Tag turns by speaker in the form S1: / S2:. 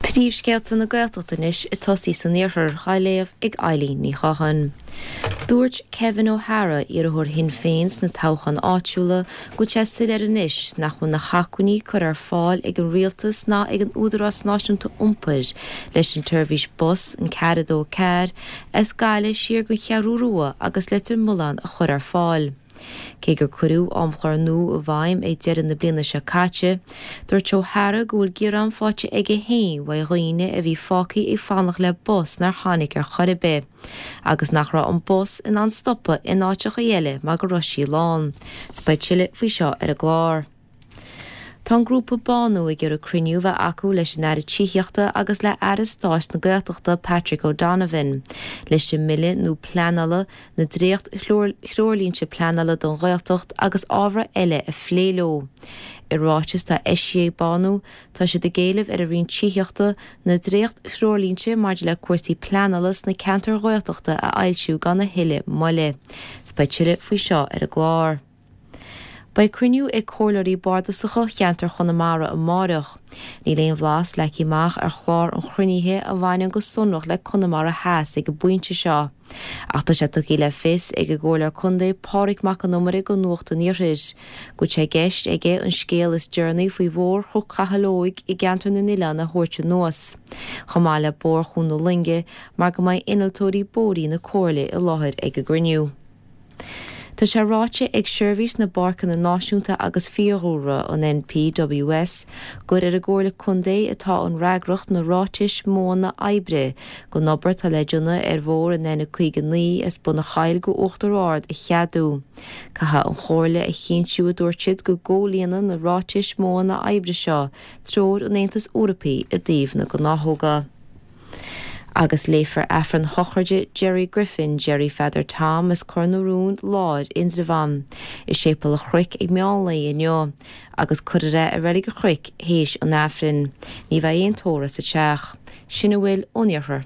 S1: Príomhscéalta na Gaeltachta anois ag tosaí san iarthar, á léamh ag Eileen Ní Chatháin. Dúirt Kevin O'Hara, iarrthóir Shinn Féin sna toghcháin áitiúla, go bhfuil sé soiléir anois nach bhfuil na hacmhainní curtha ar fáil ag an rialtas ná ag an Údarás Náisiúnta Iompair leis an tseirbhís bus, an 424, as Gaillimh siar go Cheathrú Rua agus Leitir Mealláin a chur ar fáil. Cé gur cuireadh amchlár nua i bhfeidhm ag deireadh na bliana seo caite, dúirt O'Hara go bhfuil gearán faighte aige féin uaidh dhaoine a bhí fágtha ag fanacht le bus nár tháinig ar chor ar bith, agus nach raibh an bus in ann stopadh in áiteacha eile mar go raibh sí lán. 'S beidh tuilleadh faoi seo ar an gclár. Tá an grúpa Bánú ag iarraidh cruinniú a bheith acu leis an Aire Tithíochta agus le Aire Stáit na Gaeltachta Patrick O'Donovan leis an mBille nua Pleanála, na dréacht-threoirlínte pleanála don Ghaeltacht agus ábhair eile a phlé leo. I ráiteas atá eisithe ag Bánú, tá siad ag éileamh ar an Roinn Tithíochta na dréacht-threoirlínte maidir le cúrsaí pleanála sna ceantair Ghaeltachta a fhoilsiú gan a thuilleadh moille. 'S beidh tuilleadh faoi seo ar an gclár. Beidh cruinniú ag Comhairleoirí Bardasacha cheantar Chonamara amáireach. Níl aon bhlas leagtha amach ar chlár an chruinnithe a bhaineann go sonrach le Conamara Theas ag an bpointe seo. Ach tá sé tugtha le fios ag an gComhairleoir Contae Pádraig Mac Con Iomaire do Nuacht an Iarthair go bhfuil sé i gceist aige an scéal is deireanaí faoi Bhóthar Chnoc Chathail Óig i gceantar na nOileán a thabhairt anuas, chomh maith le Bóthar Chuan na Loinge mar go mbeidh innealtóirí bóithre na Comhairle i láthair ag an gcruinniú. Tá sé ráite ag Seirbhís na bPáirceanna Náisiúnta agus Fiadhúlra, an NPWS, gur ar an gComhairle Contae atá an fhreagracht na ráitis modhanna oibre don obair atá le déanamh ar bhóthar an N59 as Bun an Choill go Uachtar Ard a cheadú. Caithfidh an Chomhairle a chinntiú, a dúirt siad, go gcomhlíonann na ráitis modhanna oibre seo treoir an Aontais Eorpaigh i dtaobh na gnáthóga. Agus léifear Aifreann sochraide Gerry Griffin, Gerry Pheadair Tom as Cor na Rún Láir, Indreabhán, i Séipéal an Chnoic ag meán lae inniu, agus cuirfear é i Reilig an Chnoic théis an Aifrinn. Ní bheidh aon tórramh sa teach. Sin a bhfuil ón Iarthar.